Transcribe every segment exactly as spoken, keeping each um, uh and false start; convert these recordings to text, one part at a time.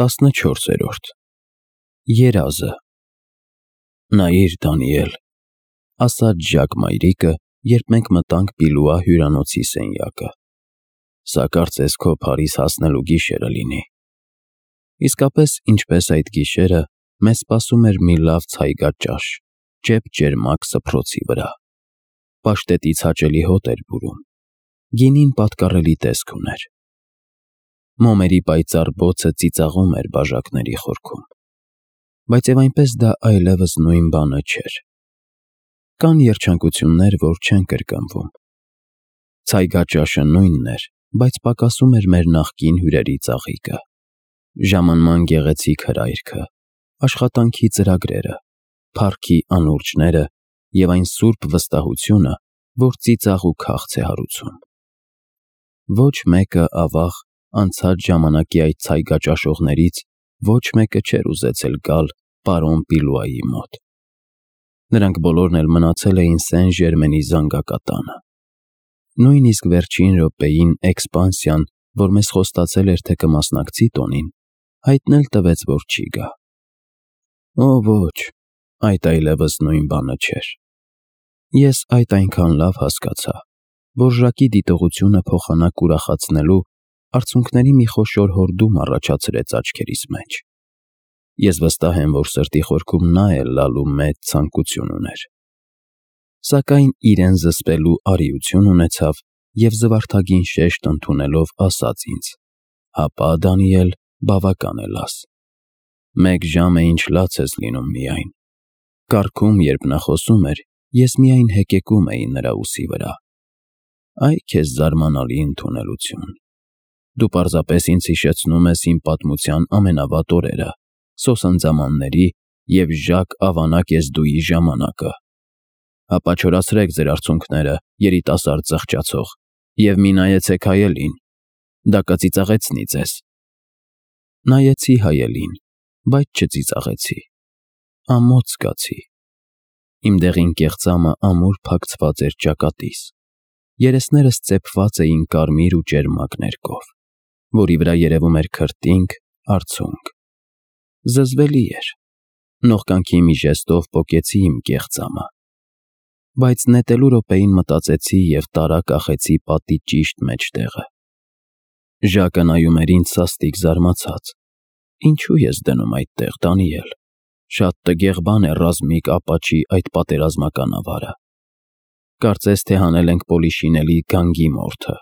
տասնչորսերորդ Երազը Նայիր, Դանիել, ասաց Ժակ մայրիկը, երբ մենք մտանք Բիլուա հյուրանոցի սենյակը, սա կարծես քո Փարիզ հասնելու գիշերը լինի։ Իսկապես, ինչպես այդ գիշերը, մեզ սպասում էր մի լավ ցայգաճաշ, ճեպ-ճերմակ սփռոցի վրա։ Պաշտետից հաճելի հոտ էր բուրում, գինին պատկառելի տեսք ուներ։ Մոմերի պայծառ բոցը ծիծաղում էր բաժակների խորքում, բայց եւ այնպես դա այլևս նույն բանը չէր։ Կան երջանկություններ, որ չեն կրկնվում։ Ցայգաճաշը նույնն էր, բայց պակասում էր մեր նախկին հյուրերի ծաղիկը, ժամանման գեղեցիկ հրայրքը, աշխատանքի ծրագրերը, փառքի անուրջները եւ այն սուրբ վստահությունը, որ ծիծաղ ու քաղց է հարուցում։ Ոչ մեկը, ավաղ, անցած ժամանակի այդ ցայգաճաշողներից ոչ մեկը չէր ուզեցել գալ պարոն Բիլուայի մոտ։ Նրանք բոլորն էլ մնացել էին Սեն-Ժերմենի զանգակատանը։ Նույնիսկ վերջին րոպեին էքսպանսիան, որ մեզ խոստացել էր, թե կմասնակցի տոնին, հայտնել տվեց, որ չի գա։ Օ ոչ, այդ այլևս նույն բանը չէր։ Ես այդ այնքան լավ հասկացա, որ Ժակի դիտողությունը փոխանակ ուրախացնելու արցունքների մի խոշոր հորդում առաջացրեց աչքերիս մեջ։ Ես վստահ եմ, որ սրտի խորքում նա էլ լալու մեծ ցանկություն ուներ։ Սակայն իրեն զսպելու արիություն ունեցավ և զվարթագին շեշտ ընդունելով ասաց ինձ. «Հապա, Դանիել, բավական է լաս։ Մեկ ժամ է ինչ լաց ես լինում միայն»։ Կառքում, երբ նա խոսում էր, ես միայն հեկեկում էի նրա ուսի վրա։ Այ քեզ զարմանալի ընդունելություն։ Դու պարզապես ինձ հիշեցնում ես իմ պատմության ամենավատ օրերը, սոսնձամանների և Ժակ Ավանակ-Եզդուի ժամանակը։ Հապա չորացրեք ձեր արցունքները, երիտասարդ զղջացող, և մի նայեցեք հայելին, դա կծիծաղեցնի ձեզ։ Նայեցի հայելին, բայց չծիծաղեցի, ամոթ զգացի։ Իմ դեղին կեղծամը ամուր փակցված էր ճակատիս, երեսներս ծեփված էին կարմիր ու ճերմակ ներկով, որի վրա երևում էր քրտինք, արցունք։ Զզվելի էր, նողկանքի մի ժեստով պոկեցի իմ կեղծամը, բայց նետելու րոպեին մտածեցի և տարա կախեցի պատի ճիշտ մեջտեղը։ Ժակը նայում էր ինձ սաստիկ զարմացած։ Ինչու ես դնում այդտեղ, Դանիել, շատ տգեղ բան է ռազմիկ ապաչի այդ պատերազմական ավարը։ Կարծես թե հանել ենք պոլիշինելի գանգի մորթը։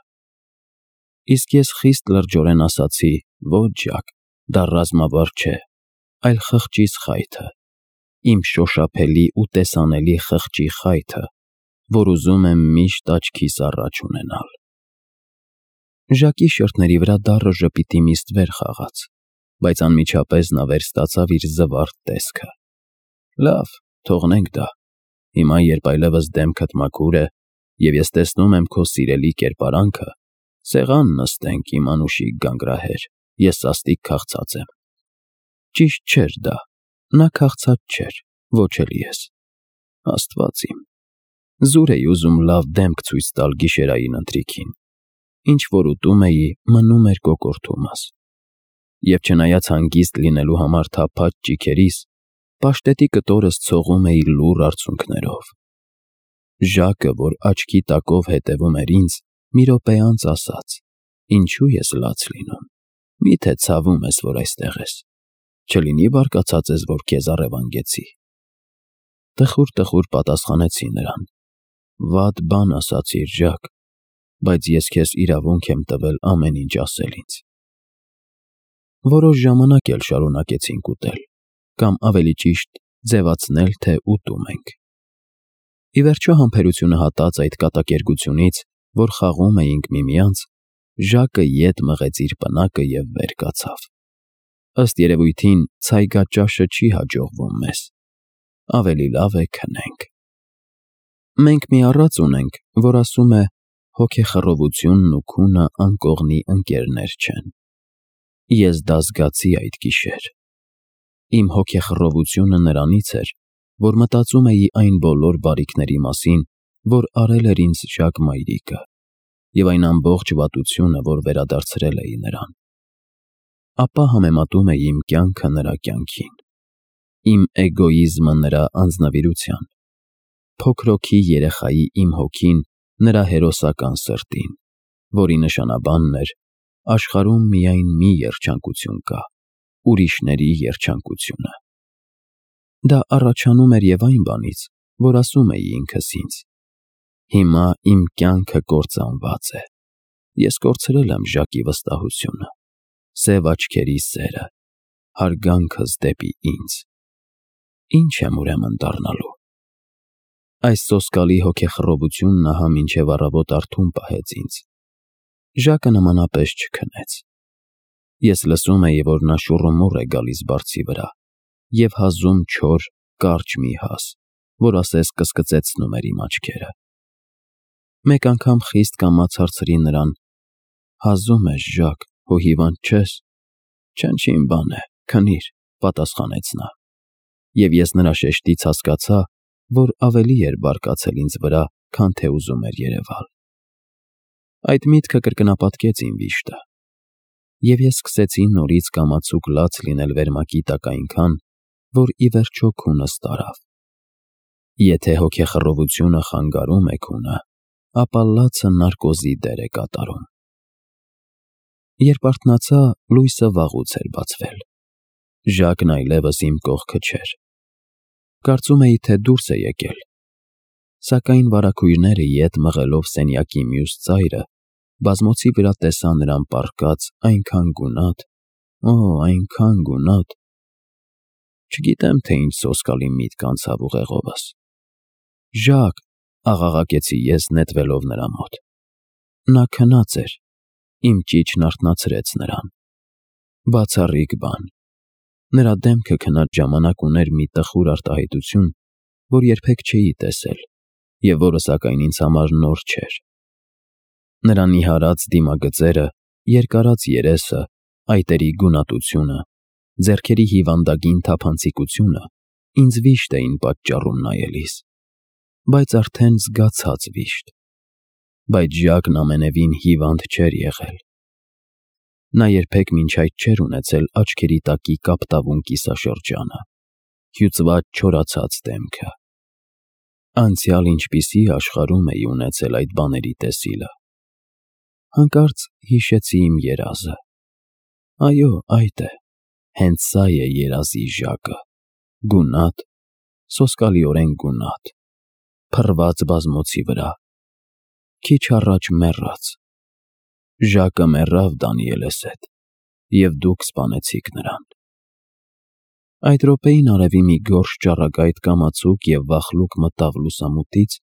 Իսկ ես խիստ լրջորեն ասացի. ոչ, Ժակ, դա ռազմավար չէ, այլ խղճիս խայթը, իմ շոշափելի ու տեսանելի խղճի խայթը, որ ուզում եմ միշտ աչքիս առաջ ունենալ։ Ժակի շրթների վրա դառը ժպիտի մի ստվեր խաղաց, բայց անմիջապես նա վերստացավ իր զվարթ տեսքը։ Լավ, թողնենք դա։ Հիմա, երբ այլևս դեմքդ մաքուր է, և ես տեսնում եմ քո սիրելի կերպարանքը, սեղան նստենք, իմ անուշիկ գանգրահեր, ես սաստիկ քաղցած եմ։ Ճիշտ չէր դա, նա քաղցած չէր, ոչ էլ ես։ Աստված իմ, զուր էի ուզում լավ դեմք ցույց տալ գիշերային ընթրիքին, ինչ որ ուտում էի, մնում էր կոկորդումս։ Եվ չնայած հանգիստ լինելու համար թափած ճիգերիս, պաշտետի կտորս ցողում էի լուռ արցունքներով։ Ժակը, որ աչքի տակով հետևում էր ինձ, մի րոպե անց ասաց. «Ինչու ես լաց լինում, միթե ցավում ես, որ այստեղ ես, չլինի բարկացած ես, որ քեզ առևանգեցի»։ Տխուր-տխուր պատասխանեցի նրան. «Վատ բան ասացիր, Ժակ, բայց ես քեզ իրավունք եմ տվել ամեն ինչ ասել ինձ»։ Որոշ ժամանակ էլ շարունակեցինք ուտել, կամ ավելի ճիշտ, ձևացնել, թե ուտում ենք։ Ի վերջո համբերությունը հատած այդ կատակերգությունից, որ խաղում էինք միմյանց, Ժակը ետ մղեց իր պնակը և վեր կացավ։ Ըստ երևույթին, ցայգաճաշը չի հաջողվում մեզ։ Ավելի լավ է քնենք։ Մենք մի առած ունենք, որ ասում է. հոգեխռովությունն ու քունը անկողնի ընկերներ չեն։ Ես դա զգացի այդ գիշեր։ Իմ հոգեխռովությունը նրանից էր, որ մտածում էի այն բոլոր բարիքների մասին, որ արել էր ինձ Ժակ մայրիկը, և այն ամբողջ վատությունը, որ վերադարձրել էի նրան։ ապա համեմատում էի իմ կյանքը նրա կյանքին, իմ էգոիզմը նրա անձնվիրության, փոքրոքի երեխայի իմ հոգին նրա հերոսական սրտին, որի նշանաբանն էր աշխարհում միայն մի երջանկություն կա, ուրիշների երջանկությունը։ Դա առաջանում էր և այն բանից, որ ասում էի ինքս ինձ. հիմա իմ կյանքը կործանված է, ես կորցրել եմ Ժակի վստահությունը, սև աչքերի սերը, հարգանքս դեպի ինձ, ի՞նչ եմ ուրեմն դառնալու։ Այս սոսկալի հոգեխռովությունն ահա մինչև առավոտ արթուն պահեց ինձ։ Ժակը նմանապես չքնեց։ Ես լսում էի, որ նա շուռումուռ է գալիս բարձի վրա և հազում չոր, կարճ մի հաս, որ ասես կսկծեցնում էր իմ աչքերը։ Մեկ անգամ խիստ կամաց հարցրի նրան. «Հազում ես, Ժակ, հո հիվանդ չես»։ «Չնչին բան է, քնիր», պատասխանեց նա։ Եվ ես նրա շեշտից հասկացա, որ ավելի էր բարկացել ինձ վրա, քան թե ուզում էր երևալ։ Այդ միտքը կրկնապատկեց իմ վիշտը, և ես սկսեցի նորից կամացուկ լաց լինել վերմակի տակ այնքան, որ ի վերջո քունս տարավ։ Եթե հոգեխռովությունը խանգարում է քունը, ապա լացը նարկոզի դեր է կատարում։ Երբ արթնացա, լույսը վաղուց էր բացվել։ Ժակն այլևս իմ կողքը չէր։ Կարծում էի, թե դուրս է եկել, սակայն վարագույրները ետ մղելով սենյակի մյուս ծայրը, բազմոցի վրա տեսա նրան պառկած այնքան գունատ, օ, այնքան գունատ։ Չգիտեմ, թե ինչ սոսկալի միտք անցավ ուղեղովս։ «Ժակ», աղաղակեցի ես նետվելով նրա մոտ։ Նա քնած էր, իմ ճիչն արթնացրեց նրան։ Բացառիկ բան։ Նրա դեմքը քնած ժամանակ ուներ մի տխուր արտահայտություն, որ երբեք չէի տեսել, և որը սակայն ինձ համար նոր չէր։ Նրա նիհարած դիմագծերը, երկարած երեսը, այտերի գունատությունը, ձեռքերի հիվանդագին թափանցիկությունը ինձ վիշտ էին պատճառում նայելիս, բայց արդեն զգացած վիշտ։ Բայց Ժակն ամենևին հիվանդ չէր եղել։ Նա երբեք մինչ այդ չէր ունեցել աչքերի տակի կապտավուն կիսաշրջանը, հյուծված չորացած դեմքը։ Անցյալ ինչպիսի աշխարհում էի ունեցել այդ բաների տեսիլը։ Հանկարծ հիշեցի իմ երազը։ Այո, այդ է, հենց սա է երազի Ժակը, գունատ, սոսկալիորեն գունատ, փռված բազմոցի վրա, քիչ առաջ մեռած։ Ժակը մեռավ Դանիելս հետ, և դուք սպանեցիք նրան։ Այդ րոպեին արևի մի գորշ ճառագայթ կամացուկ և վախլուկ մտավ լուսամուտից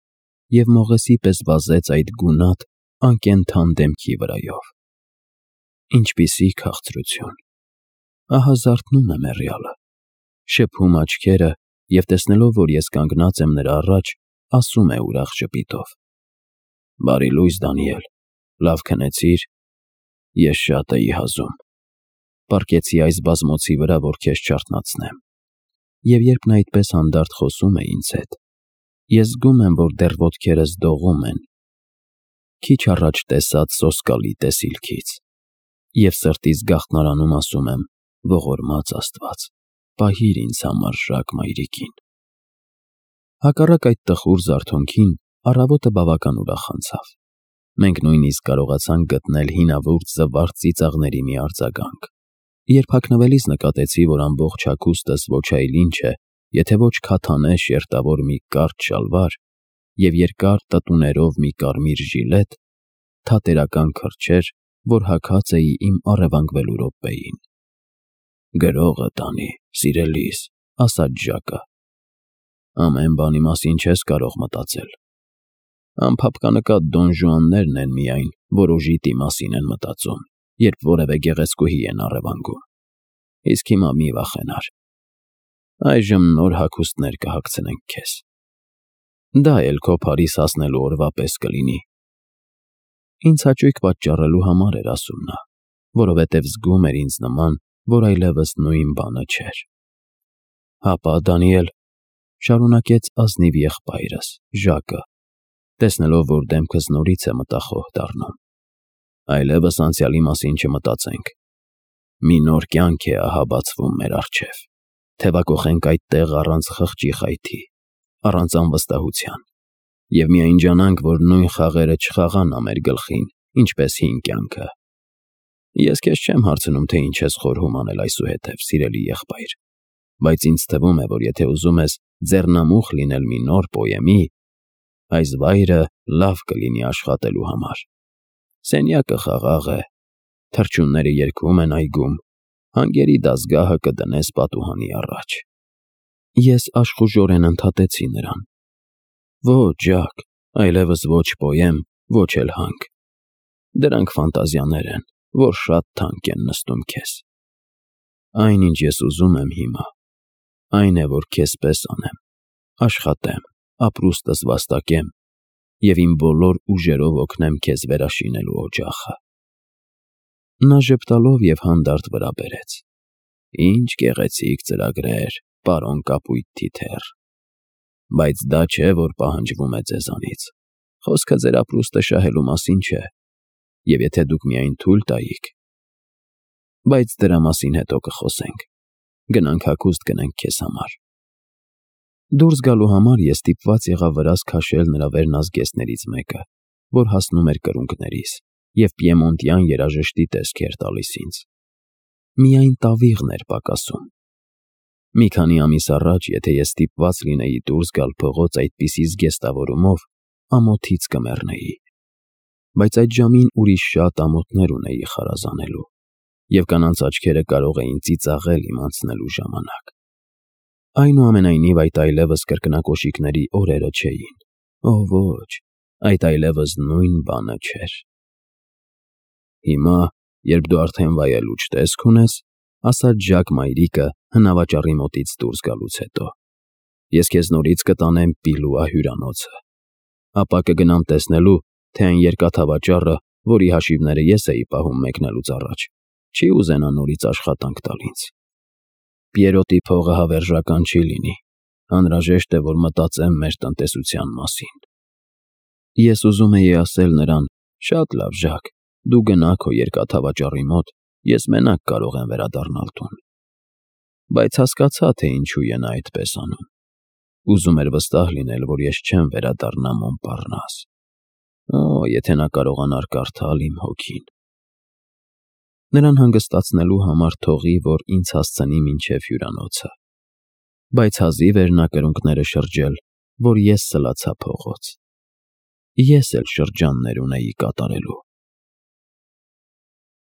և մողեսի պես վազեց այդ գունատ, անկենդան դեմքի վրայով։ Ինչպիսի քաղցրություն։ Ահա զարթնում է մեռյալը, շփում աչքերը և տեսնելով, որ ես կանգնած եմ նրա առաջ, ասում է ուրախ ժպիտով. «Բարի լույս, Դանիել, լավ քնեցի՞ր»։ Ես շատ էի հազում։ Պառկեցի այս բազմոցի վրա, որ քեզ չարթնացնեմ։ Եվ երբ նա այդպես հանդարտ խոսում է ինձ հետ, ես զգում եմ, որ դեռ ոտքերս դողում են քիչ առաջ տեսած սոսկալի տեսիլքից, և սրտիս գաղտնարանում ասում եմ. ողորմած Աստված, պահիր ինձ համար Ժակ մայրիկին։ Հակառակ այդ տխուր զարթոնքին, առավոտը բավական ուրախ անցավ։ Մենք նույնիսկ կարողացանք գտնել հինավուրց զվարթ ծիծաղների մի արձագանք։ Երբ հագնվելիս նկատեցի, որ ամբողջ հագուստս ոչ այլ ինչ է, եթե ոչ քաթանե շերտավոր մի կարճ շալվար և երկար տտուներով մի կարմիր ժիլետ, թատերական քրջեր, որ հագած էի իմ առևանգվելու րոպեին։ «Գրողը տանի, սիրելիս», ասաց Ժակը։ «Ամեն բանի մասին չես կարող մտածել։ Անփափկանկատ Դոն Ժուաններն են միայն, որ օժիտի մասին են մտածում, երբ որևէ գեղեցկուհի են առևանգում։ Իսկ հիմա մի վախենար։ Այժմ նոր հագուստներ կհագցնենք քեզ։ Դա էլ քո Փարիզ հասնելու օրվա պես կլինի»։ Ինձ հաճույք պատճառելու համար էր ասում նա, որովհետև զգում էր ինձ նման, որ այլևս նույն բանը չէր։ «Հապա, Դանիել», շարունակեց ազնիվ եղբայրս, Ժակը, տեսնելով, որ դեմքս նորից է մտախոհ դառնում, «այլևս անցյալի մասին չմտածենք։ Մի նոր կյանք է ահա բացվում մեր առջև, թևակոխենք այդտեղ առանց խղճի խայթի, առանց անվստահության, և միայն ջանանք, որ նույն խաղերը չխաղան մեր գլխին, ինչպես հին կյանքը։ Ես քեզ չեմ հարցնում, թե ինչ ես խորհում անել այսուհետև, սիրելի եղբայր, բայց ինձ թվում է, որ եթե ուզում ես ձեռնամուխ լինել մի նոր պոեմի, այս վայրը լավ կլինի աշխատելու համար։ Սենյակը խաղաղ է, թռչունները երգում են այգում, հանգերի դազգահը կդնես պատուհանի առաջ։ Ես աշխուժորեն ընդհատեցի նրան. Ոչ, Ջակ, այլևս ոչ պոեմ, ոչ էլ հանք։ Դրանք ֆանտազիաներ են, որ շատ թանկ են նստում քեզ։ Այն, ինչ ես ուզում եմ հիմա, այն է, որ քեզ պես անեմ, աշխատեմ, ապրուստս վաստակեմ և իմ բոլոր ուժերով օգնեմ քեզ վերաշինելու օջախը։ Նա ժպտալով և հանդարտ վրա բերեց. Ինչ գեղեցիկ ծրագրեր, պարոն կապույտ թիթեռ։ Բայց դա չէ, որ պահանջվում է ձեզանից։ Խոսքը ձեր ապրուստը շահելու մասին չէ, և եթե դուք միայն թույլ տայիք… Բայց դրա մասին հետո կխոսենք։ Գնանք հագուստ գնենք քեզ համար։ Դուրս գալու համար ես ստիպված եղա վրաս քաշել նրա վերնազգեստներից մեկը, որ հասնում էր կրունկներիս և պիեմոնտյան երաժշտի տեսք էր տալիս ինձ։ Միայն տավիղն էր պակասում։ Մի քանի ամիս առաջ, եթե ես ստիպված լինեի դուրս գալ փողոց այդպիսի զգեստավորումով, ամոթից կմեռնեի։ Բայց այդ ժամին ուրիշ շատ ամոթներ ունեի խարազանելու, և կանանց աչքերը կարող էին ծիծաղել իմ անցնելու ժամանակ։ Այնուամենայնիվ, այդ այլևս կրկնակոշիկների օրերը չէին։ Օ ոչ, այդ այլևս նույն բանը չէր։ Հիմա, երբ դու արդեն վայելուչ տեսք ունես, ասաց Ժակ մայրիկը հնավաճառի մոտից դուրս գալուց հետո, ես քեզ նորից կտանեմ Պիլուա հյուրանոցը, ապա կգնամ տեսնելու, թե այն երկաթավաճառը, որի հաշիվները ես էի պահում մեկնելուց առաջ, չի ուզենա նորից աշխատանք տալ ինձ։ Պիերոտի փողը հավերժական չի լինի, անհրաժեշտ է, որ մտածեմ մեր տնտեսության մասին։ Ես ուզում էի ասել նրան. շատ լավ, Ժակ, դու գնա քո երկաթավաճառի մոտ, ես մենակ կարող եմ վերադառնալ տուն։ Բայց հասկացա, թե ինչու է նա այդպես անում։ Ուզում էր վստահ լինել, որ ես չեմ վերադառնա Մոնպառնաս։ Օ, եթե նա կարողանար կարդալ իմ հոգին։ Նրան հանգստացնելու համար թողի, որ ինձ հասցնի մինչև հյուրանոցը։ Բայց հազիվ էր նա կրունկները շրջել, որ ես սլացա փողոց։ Ես էլ շրջաններ ունեի կատարելու։